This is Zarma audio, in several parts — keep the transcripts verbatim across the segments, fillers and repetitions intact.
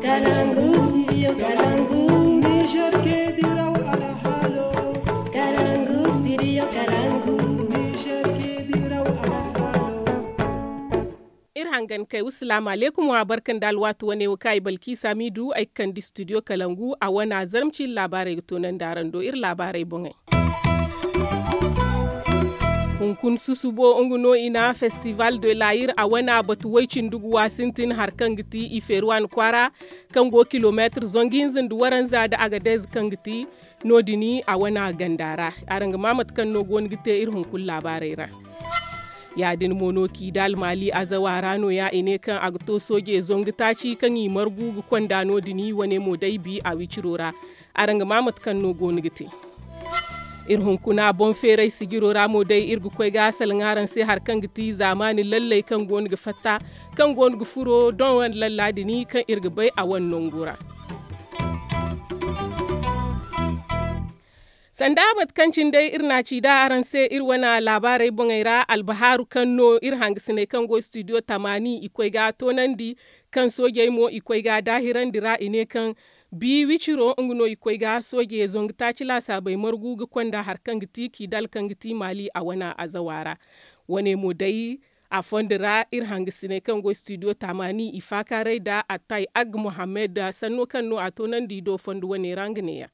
Kalangu studio kalangu. Niger ke diraw alhalo. Kalangu studio kalangu. Niger ke diraw alhalo. Iri hangan kay wasalaamu aleykum wa barka nda alwaati wane wo kaŋ ay balki samidu ay ga kande studio kalangu a wana zarma ciini laabaarey ga toonandi araŋ do iri laabaarey boŋey. Hunkuna susubo nga no i na festival de layir a wana batu way cindi guwa sintin hari kaŋ ga ti i feeri waani kwaara, kaŋ go kilomeetir zangu hinza nda waranza nda agadez kaŋ ga ti no- din a wana ganda ra. Araŋ ga ma mate kaŋ no go no ga te iri hunkuna laabaarey ra. Ya- din mo no kidal maali azawa ra no- ya i ne kaŋ a ga to soojey zangu taaci kaŋ i margu ga konda no- din wane mo day bi a wiciro ra. Araŋ ga ma mate kaŋ no go no ga te. Iri hunkuna boŋ feeray sijiro ra mo day iri ga koy ga salaŋ araŋ se hari kaŋ ga ti zaamaani lalley kaŋ go no ga fatta, kaŋ go no ga furo doŋ wane lalla din kaŋ iri ga bay a wane nangu ra. Sanda mate kaŋ cine day iri na a ci da araŋ se iri wane laabaarey boŋey ra albahaaru kaŋ no iri hangasiney kaŋ go studio tamaani i koy ga toonandi, kaŋ soojey mo i koy ga daahirandi ra i ne kaŋ bi wiciro nga no i koy ga soojey zangu taaci laasaabey margu ga konda hari kaŋ ga ti kidal kaŋ ga ti maali a wane azawa ra. Wane mo day a fondo ra iri hangasiney kaŋ go studio tamaani i faakaaray nda attay ag mohammed sanno kaŋ no a toonandi i do fondo wane ra nga neeya.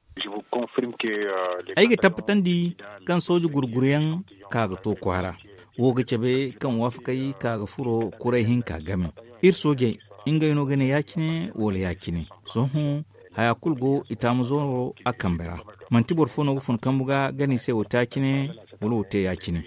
Ay ga tabbatandi kaŋ sooje gurguruyaŋ ka ga to kwaara wo ga cabe kaŋ waafakay ka ga furo kuray hinka game. Iri soojey ngey no ga ne ya- cine wala ya- cine. Sohõ haya kulu go i taamu zooro a kambe ra. Manti boro fo no ga fun kambu ga gana i se wo te ya- cine wala wo te ya- cine.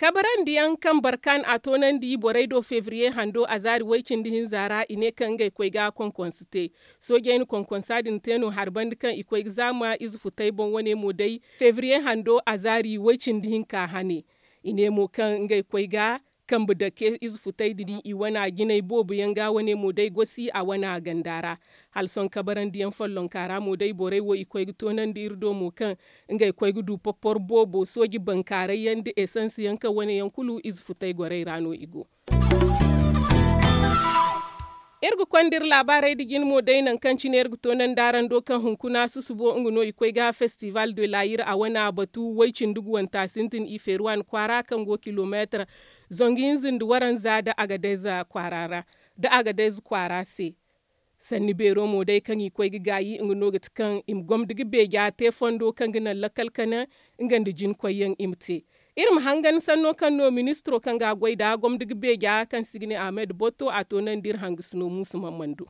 Kabarandiyaŋ kaŋ barkan a toonandi borey do febriye hando azaari way cindi hinza ra i ne kaŋ ngey koy ga konkonse te. Soojey na konkonsa din te no hari banda kaŋ i koy ga zaama ize futey boŋ wane mo day febriye hando azaari way cindi hinka hane. I ne mo kaŋ ngey koy ga kambe dake ize futey din i wana jinay boobo yaŋ ga wane mo day gosi a wana ganda ra. Hala sohõ kabarandiyaŋ follonka ra mo day borey wo i koy ga toonandi iri do mo kaŋ ngey koy ga du poppor boobo sooji bankaaray yaŋ nda esans yaŋ kaŋ wane yaŋ kulu ize futey gorey ra no i go. Iri ga konda iri laabaarey nda jine mo day nangu kaŋ cine iri ga toonandi araŋ do kaŋ hunkuna susubo nga no i koy ga festival de layir a wana batu way cindi guwanta sintin i feeri waani kwaara kaŋ go kilomeetir zangu hinza nda waranza nda agadez kwaara ra nda agadez kwaara se. Sanni beero mo day kaŋ i koy ga gaayi nga no ga ti kaŋ i ma gomda ga beeja te fondo kaŋ ga naŋ lakkal kane nga nda jinkoyyaŋ i ma te. Iri ma hangan sanno kaŋ no ministiro kaŋ ga a goy nd'a gomda ga beeja kaŋ se i ga ne ahmed botto a toonandi iri hangasino muusa mammando.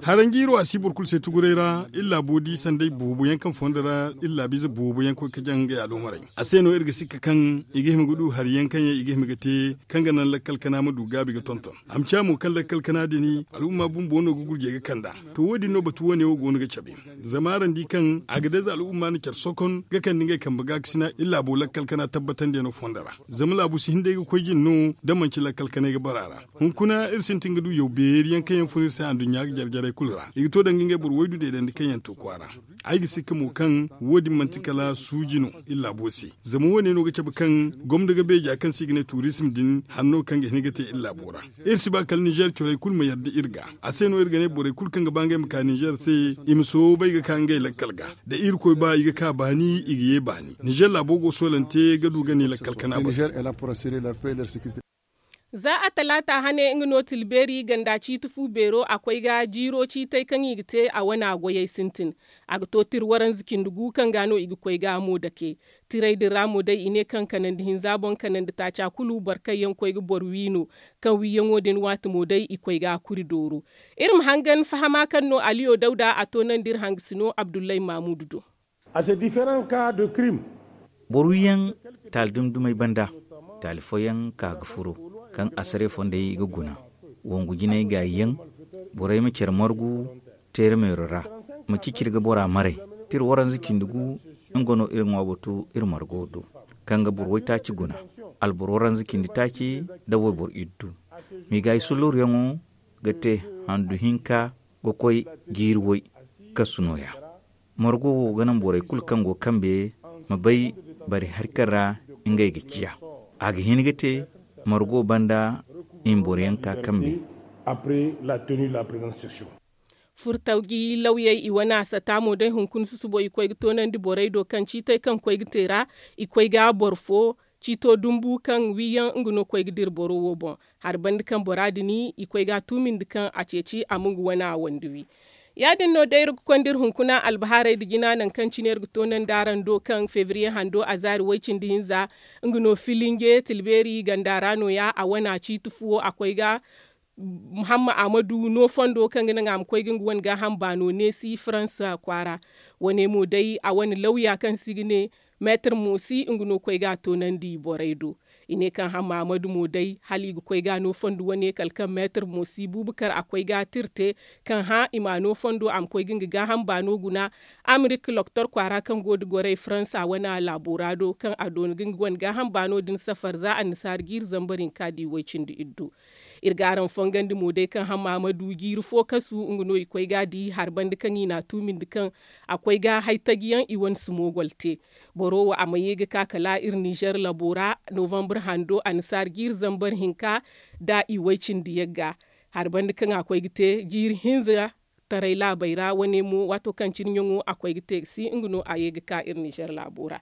Haranjiiro a si boro kulu se tuguray ra iri laabo di sanday boobo yaŋ kaŋ fondo ra iri laabiize boobo yaŋ koy ga jaŋ ngey aloomarey. A se no iri ga sikka kaŋ i ga hima ga du hari yaŋ kaŋ yaŋ i ga hima ga te kaŋ ga naŋ lakkal kana ma du gaabi ga tonton. A ma ciya mo kaŋ lakkal kana din al'umma bumbo no ga gurjey ga kand'a. To wo- din no batu wane wo go no ga cabe. Zama araŋ di kaŋ a ga day za al'umma na care sokon ga kande ngey kambe gaakasina iri laabo lakkal kana tabbatandiyaŋo fondo ra. Zama laabu si hin day ga koy jine no da manci lakkal kanay ga bara ra. Hunkuna iri sintin ga du yaw beeri yaŋ kaŋ yaŋ fun iri se anduɲɲa ga jare jarey kulu ra i ga to danga ngey boro waydu deedandi kaŋ yaŋ to kwaara. Ay ga sikka mo kaŋ wo- din manti kala suuji no iri laabo se. Zama wo- ne no ga cabe kaŋ gomdo ga beeja kaŋ se i ga ne turism din hanno kaŋ ga hin ga te iri laabo ra. Iri si ba kala nizer corey kulu ma yadda iri ga. A se no iri ga ne borey kulu kaŋ ga ba ngey ma ka nizer se i ma soobay ga ka ngey lakkal ga. Da irkoy ba i ga ka baani i ga ye baani nizer laabo go soolante ga du ga ne lakkal kana batu. Za a talaata hane nga no tilbeeri ganda ciiti fu beero a koy ga jiiro ciitay kaŋ i ga te a wana goyey sintin. A ga to tira waranza cindi gu kaŋ ga no i ga koy ga mo dake. Tiray din ra mo day i ne kaŋ kanandi hinza boŋ kanandi taaca kulu boro kaŋ yaŋ koy ga boro wi no. Kaŋ wiiyaŋo din waati mo day i koy ga kuri dooro. Iri ma hangan fahama kaŋ no aliyo dawda a to naŋ da iri hangasino abdullahi mamudu do. Boro wiyaŋ taali dumdumey banda taali fooyaŋ ka ga furo kaŋ asare fondey ga guna. Wangu jinay gaayiyaŋ borey ma care margu teera meero ra ma ciciri ga bora maray. Tira waranza cindi gu nga no iri ŋwa batu iri margo do kaŋ ga boro waytaaci guna. Alboro waranza cindi taaci nda wayboro iddu. Miigaayi sulluryaŋo ga te handu hinka ga koy jiiri way kasu nooya. Margo wo ga naŋ borey kulu kaŋ go kambe ma bay bari hari kaŋ ra ngey ga ciya. A ga hin ga te margo banda i ma boro yaŋ ka kambe. Furtaw gi lawyey i wane a sata mo day hunkuna susubo i koy ga toonandi borey do kaŋ ciitey kaŋ koy ga te ra. I koy ga boro fo ciito dumbu kaŋ wiyaŋ nga no koy ga dira boro wo boŋ. Hari banda kaŋ bora din i koy ga a tuumindi kaŋ a ceeci a ma nga wane a wande wi. Ya- din no day iri ga konda iri hunkuna albahaarey nda jina nangu kaŋ cine iri ga toonandi araŋ do kaŋ febriye hando a zaari way- cindi hinza. Nga no filinge tilbeeri ganda ra no- ya a wane a ciiti fuwo a koy ga hamma a ma du no fondo kaŋ ga naŋ a ma koy ga nga wane gaaham baano neesi faransa kwaara. Wane mo day a wane lawya kaŋ se i ga ne meetar moosi nga no koy ga a toonandi borey do. I ne kaŋ hamma a ma du mo day hala i ga koy ga a no fondo wane kala kaŋ meetar moosi buubu kar a koy ga a tirte kaŋ hã i ma a no fondo a ma koy ga nga gaaham baano guna. Amerika loktor kwaara kaŋ go nda gorey faransa wane laabo ra do kaŋ a doona ga nga wane gaaham baano din safar za annasaara jiiri zambar hinka di way- cindi iddu. Iri ga araŋ fongandi mo day kaŋ hamma ma du jiiri fo kasu nga no i koy ga a di hari banda kaŋ i n'a tuumindi kaŋ a koy ga hay taji yaŋ i wane si moogol te. Boro wo a ma ye ga ka kala iri nizer labo ra novambar hando annasaara jiiri zambar hinka nda i way- cindi yagga. Hari banda kaŋ a koy ga te jiiri hinza taray laabey ra wane mo waato kaŋ cine ɲaŋo a koy ga te ga si nga no a ye ga ka iri nizer laabo ra.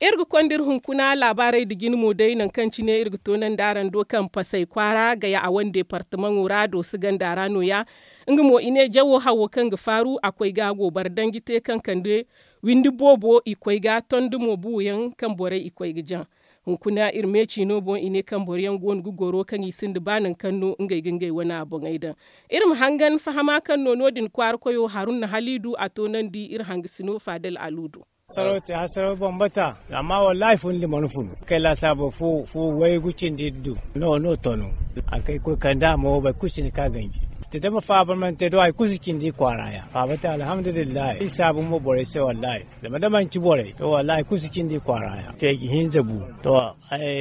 Iri ga konda iri hunkuna laabaarey nda jina mo day nangu kaŋ cine iri ga toonandi araŋ do kaŋ pasay kwaara gaya a wane deepartamaŋo ra dooso ganda ra no- ya. Nga mo i ne jawo hawo kaŋ ga faaru a koy ga goobara danji te kaŋ kande windi boobo i koy ga tondi mo buuyaŋ kaŋ borey i koy ga jaŋ. Hunkuna iri meeci no boŋ i ne kaŋ boro yaŋ go no ga goro kaŋ i sinda ba nangu kaŋ no ngey ga ngey wane a boŋey daŋ. Iri ma hangan fahama kaŋ no no- din kwaara koyo haruna haliidu a toonandi iri hangasino faadal alu do. Saraw te hasaraw bambata amma wallaahi fundi mana funu kay laasaabo fu waygu cindi du. No no tonu a kay koy kanda mo boro kulu si ni ka ganji. Te da ma faaba mana te do hari kulu si cindi kwaara ya faaba te alhamdulillahi iri saabu mo borey se wallaahi. Zama da manci borey to wallaahi kulu si cindi kwaara ya feeji hinza bu. To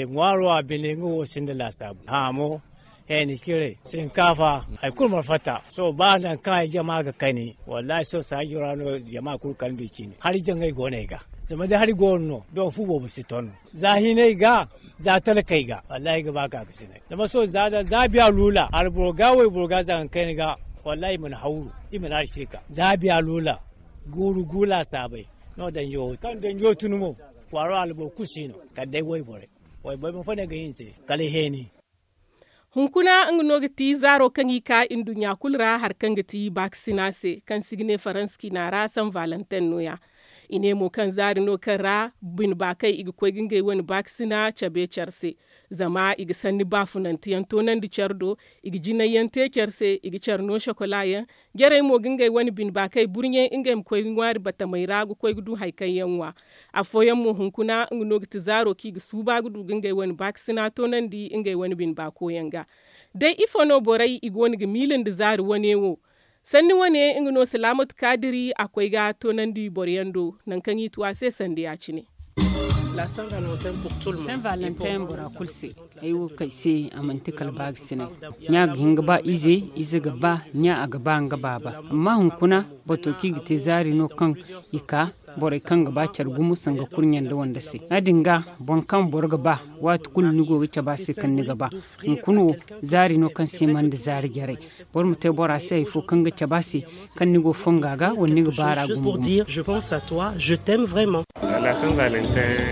ŋwaaro a bine nga wo sinda laasaabu haamo heeni cire sinkaafa hari kulu mana fatta sohõ ba nangu kaŋ ay jama ga kani. Wallaahi sohõ saajo ra no jama kulu kala ndu i cine hari jaŋay go no ay ga. Zama da hari go no no doŋ fu boobo si ton za hinay ga za talkey ga wallaahi ay ga ba ka ga sinay. Zama sohõ za biya luula alboro ga wayboro ga zaŋ kayna ga wallaahi i mana hawru i mana hari sirka za biya luula guuru gu laasaabey. No danjo kaŋ danjo tun mo kwaaro alboro kulu si no kala day wayborey. Wayborey ma fo no ay ga hin se kala heeni. Hunkuna nga no ga ti zaaro kaŋ i ka nduɲɲa kulu ra hari kaŋ ga ti baakasina se kaŋ se i ga ne faransa ciina ra san valentin no- ya. I ne mo kaŋ zaari no kaŋ ra bine baakey i ga koy ga ngey wane baakasina cabe care se. Zama i ga sanni baafunante yaŋ toonandi care do i ga jinay yaŋ te care se i ga care no sokola yaŋ. Jarey mo ga ngey wane bine baakey burɲe ngey ma koy ga ŋwaari batamey ra ga koy ga du hari kaŋ yaŋ ŋwa. Afooyaŋ mo hunkuna nga no ga ti zaaro kaŋ i ga suuba ga du ga ngey wane baakasina toonandi ngey wane bine baako yaŋ ga. Day ifo no borey i go no ga miila nda zaari wane wo? Sanni wane nga no salaamatu kaadiri a koy ga toonandi boro yaŋ do nangu kaŋ i tu a se sanda ya- cine. San valentin bora kulu se. Ay wo kay se a manti kala baagisinay. Ɲa ga hin ga ba ize ize ga ba ɲa a ga ba nga baaba. Amma hunkuna bato kaŋ i ga te zaari no kaŋ i ka borey kaŋ ga ba care gumo sanga kurɲe nda wande se ya- din ga boro kaŋ boro ga ba waati kulu ni go ga cabe a se kaŋ ni ga ba. Hunkuna wo zaari no kaŋ se man da zaari jarey. Boro ma te bora se hari fo kaŋ ga cabe a se kaŋ ni go fonga ga wala ni ga baara gumo gumo.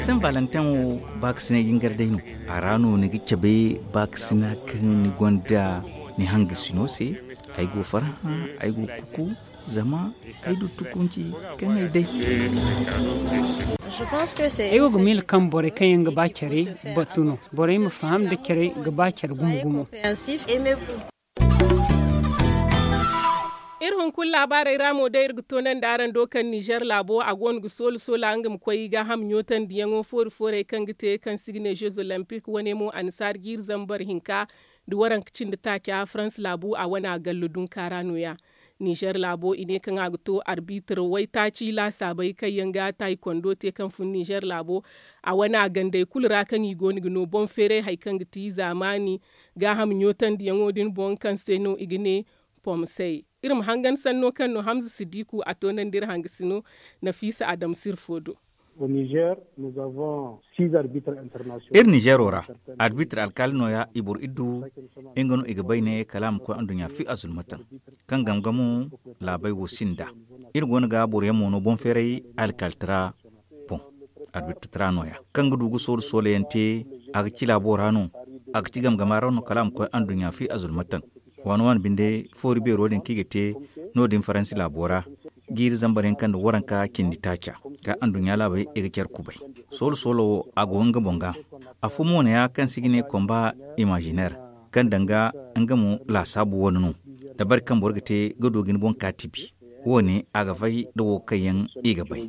Saint valentin wo baakasinay jingar day no. A ra no ni ga cabe baakasina kaŋ ni gonda ni hangasino se. Ay go farhã, ay go kuku, zama ay du tukunci kaŋ ay day. Ay wo ga miila kaŋ borey kaŋ yaŋ ga ba care batu no. Borey ma faham da care ga ba care gumo gumo. Iri hunkuna laabaarey ra mo day iri ga toonandi araŋ do kaŋ nizer laabo a go no ga soola soola nga ma koy gaaham ɲootandiyaŋo foori foorey kaŋ ga te kaŋ se i ga ne jeux olympique wane mo annasaara jiiri zambar hinka nda waranka cindi taaca farans laabu a wane a gallo dunka ra no- ya. Nizer laabo i ne kaŋ a ga to arbitir waytaaci laasaabey kaŋ yaŋ ga taayikondo te kaŋ fun nizer laabo a wane a gandey kulu ra kaŋ i go no ga no boŋ feeray hari kaŋ ga ti zaamaani gaaham ɲootandiyaŋo din boŋ kaŋ se no i ga ne pomsey. Iri ma hangan sanno kaŋ no hamza sidiku a toonandi iri hangasino nafiisa adama sirfo do. Iri nizeero ra, arbitr alkaali nooya i boro iddu. Nga no i ga bay ne kala a ma koy anduɲɲa fi azulmatan, kaŋ gamgamo laabey wo sinda. Iri go no ga boro yaŋ mo no boŋ feeray alkaaltara boŋ, arbitr tara nooya kaŋ ga du ga soolu soolayaŋ te. A ga ci laabo ra no. A ga ci gamgama ra no kala a ma koy anduɲɲa fi azulmatan. Waani waani binde foori beero din kaŋ i ga te no- din faransi laabo ra, jiiri zambar yaŋ kaŋ nda waranka cindi taaca, ka anduɲɲa laabey i ga care kubay. Soolo soolo wo a go nga boŋ ga. Afo mo neeya kaŋ se i ga ne komba imaziner, kaŋ danga nga mo laasaabu wane no. Dabari kaŋ boro ga te ga du ga ni boŋ ka tibi, wo- ne a ga fay nda wo kaŋ yaŋ i ga bay.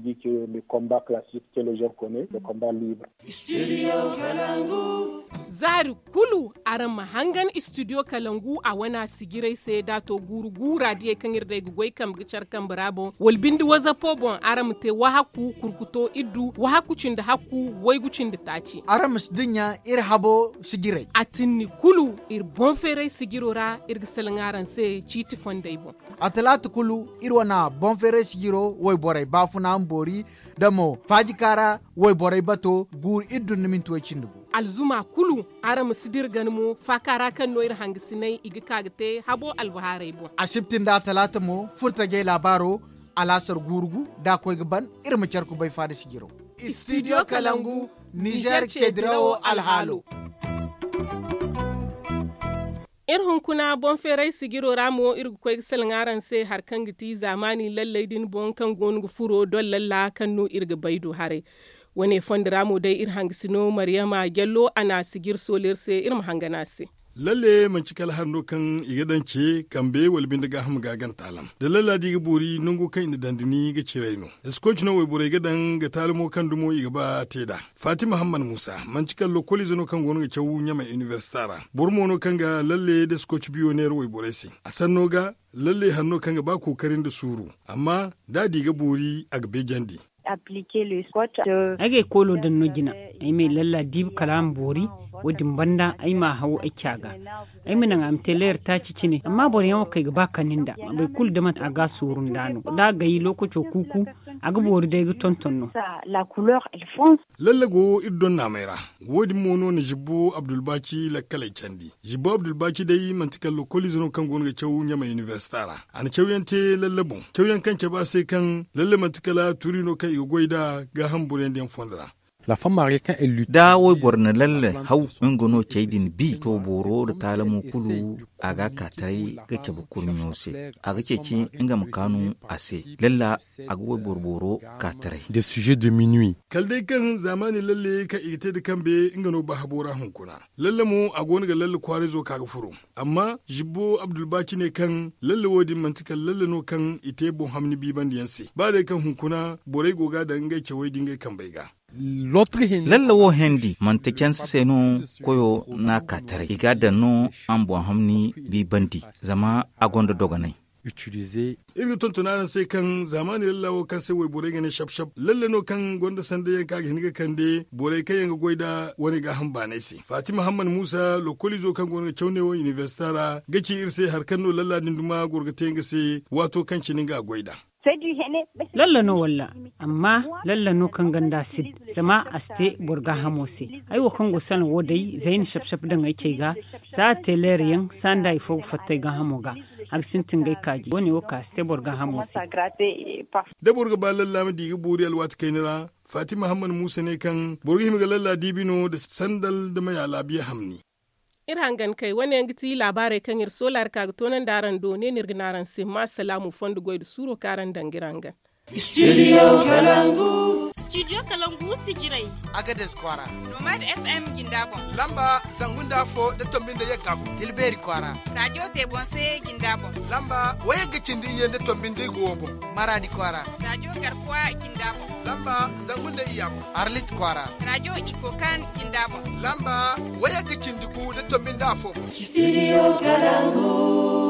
Zaari kulu araŋ ma hangan istidiyo kalangu a wane a sijirey se da a to guuru guura diyey kaŋ iri day ga goy kambe ga care kambe ra boŋ wala binde wazapo boŋ araŋ ma te wahakku kurkuto iddu wahakku cindi hakku waygu cindi taaci. Araŋ ma si dinya iri habo sijirey a tinni kulu. Iri boŋ feeray sijiro ra iri ga salaŋ araŋ se ciiti fondey boŋ. A talaata kulu iri wane boŋ feeray sijiro wayborey baafuna ma boori nda mo faajikaara wayborey bato guuru iddu nda minti way cindi gu. Alzuma kulu araŋ ma si dira gana mo faaka ra kaŋ no iri hangasiney i ga ka ga te habo albahaarey boŋ. Asibti nda a talaata mo furtajey laabaaro alaasar guuru gu da a koy ga ban. Iri ma care kubay faada sijiro. Istidiyo kalangu nizeer ceedirawo alhaalo. Iri hunkuna boŋ feeray sijiro ra mo iri ga koy ga salaŋ araŋ se hari kaŋ ga ti zaamaani lalley din boŋ kaŋ go no ga furo doŋ lalla kaŋ no iri ga bay du haray. Wane fondo ra mo day iri hangasino mariyama jallo a na a sijir soolu iri se iri ma hangan a se. Lalle manci kala hari no kaŋ i ga daŋ ce kambe wala binde gaaham ga a gana taalam da lalla da i ga boori nango kaŋ i na daŋ da ni ga ciray no. Eskoci no wayborey ga daŋ ga taalamo kaŋ dumo i ga ba a te nd'a. Fatima hamman muusa manti kala lokoliize no kaŋ go no ga caw ɲamay inibersita ra. Boro mo no kaŋ ga lalle da eskoci biyo neera wayborey se. A sanno ga lalle hari no kaŋ ga ba kookari nda suuru. Amma da a di ga boori a ga beejandi. Ay ga ay koolo daŋ no jina. Ay ma ay lalla diibi kala a ma boori. Wo- din banda ay ma a haw ay ca ga. Ay ma naŋ a ma te leera taaci cine amma boro yaŋ wo kaŋ ay ga ba kani nd'a. Boro kulu da mate a ga a sooru nd'a no da a gay lookaco kuuku. A ga boori day ga tonton no. Lalle go iri donnaamey ra. Wo- din mo no na zibbo abdulbaaci lakkaley candi. Zibbo abdulbaaci day manti kala lokoliize no kaŋ go no ga caw ɲamay inibersita ra. A na cawyaŋ te lalle boŋ cawyaŋ kaŋ cabe a se kaŋ lalle manti kala tuuri no kaŋ i ga goy nd'a gaaham boroyaŋ diyaŋ fondo ra. Da wayboro na lalle haw nga no cey din bi to booro nda taalamo kulu. A ga a ka taray ga cabe kurɲo se. A ga ceeci nga ma kaanu a se. Lalle a ga wayboro booro ka taray. Kala day kaŋ zaamaani lalle kaŋ i ga te nda kambe nga no ba habo ra hunkuna. Lalle mo a go no ga lalle kwaarayzo ka ga furo. Amma zibbo abdulbaaci ne kaŋ lalle wo- din manti kala lalle no kaŋ i te boŋ hamni biibandiyaŋ se ba day kaŋ hunkuna borey go ga a daŋ ngey cawey da ngey kambey ga. Lalle wo hendi manti canse se no. Koyo n'a ka taray i ga a daŋ no a ma boŋ hamni biibandi. Zama a gonda dogonay. Iri ga tonton araŋ se kaŋ zaamaani lalla wo kaŋ se wayborey ga ne sab sab lalle no kaŋ gonda sanday yaŋ kaŋ a ga hin ga kande borey kaŋ yaŋ ga goy nd'a wane gaaham baanay se fatima hamman muusa lokoliizo kaŋ go no ga caw neewo inibersita ra ga ci iri se hari kaŋ no lalla din duma goro ga te nga se. Waato kaŋ cine nga a goy nd'a. Lalla no walla amma lalla no kaŋ ganda a si zama a si te boro gaahamo se. Ay wo kaŋ go salaŋ wo day zayna sab sab daŋ ay cey ga. Za a te leerayaŋ sanda ifo ga fatta ay gaahamo ga. A ga sintin ga ay kaaji wo- ne wo kaŋ a si te boro gaahamo se. Da boro ga ba lalla ma di ga boori alwaati kayna ra. Fatima hamman muusa ne kaŋ boro ga hima ga lalla diibi no nda sandal nda maya laabiya hamni. Iri hangan kay wane yaŋ ga ti laabaarey kaŋ iri soola iri ka ga toonandi araŋ do ne no iri ga ne araŋ se ma salaamu fondo goy nda suuro kaŋ araŋ daŋ ga iri hangan. Studio kalangu. Studio kalangu sijirey. Agades kwaara. Nomad fm jinda boŋ. Lamba zangu nda afo nda tombi nda yagga boŋ. Tilbeeri kwaara. Raajo te boŋ se jinda boŋ. Lamba wayagga cindi iyye nda tombi nda igo wo boŋ. Maraadi kwaara. Raajo garkuwa jinda boŋ. Lamba zangu nda iyya boŋ. Arlit kwaara. Raajo iko kan jinda boŋ. Lamba wayagga cindi gu nda tombi nda afo boŋ. Studio kalangu.